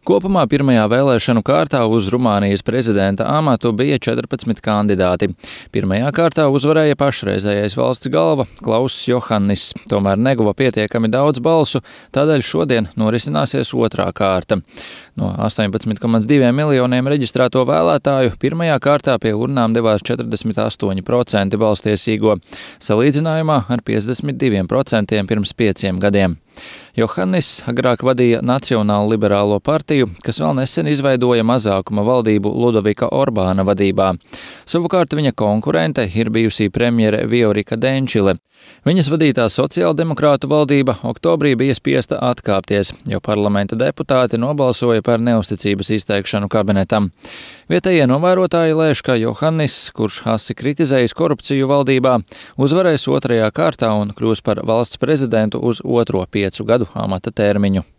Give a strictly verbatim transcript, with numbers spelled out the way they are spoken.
Kopumā pirmajā vēlēšanu kārtā uz Rumānijas prezidenta amatu bija četrpadsmit kandidāti. Pirmajā kārtā uzvarēja pašreizējais valsts galva Klauss Johannis, tomēr neguva pietiekami daudz balsu, tādēļ šodien norisināsies otrā kārta. No astoņpadsmit komats diviem miljoniem reģistrēto vēlētāju pirmajā kārtā pie urnām devās četrdesmit astoņi procenti balstiesīgo, salīdzinājumā ar piecdesmit diviem procentiem pirms pieciem gadiem. Johannis agrāk vadīja Nacionālo liberālo partiju, kas vēl nesen izveidoja mazākuma valdību Ludovika Orbāna vadībā. Savukārt viņa konkurente ir bijusī premjere Viorika Denčile. Viņas vadītā sociāldemokrātu valdība oktobrī bija spiesta atkāpties, jo parlamenta deputāti nobalsoja par neusticības izteikšanu kabinetam. Vietējie novērotāji lēš, ka Johannis, kurš asi kritizējis korupciju valdībā, uzvarēs otrajā kārtā un kļūs par valsts prezidentu uz otro piecu gadu amata termiņu.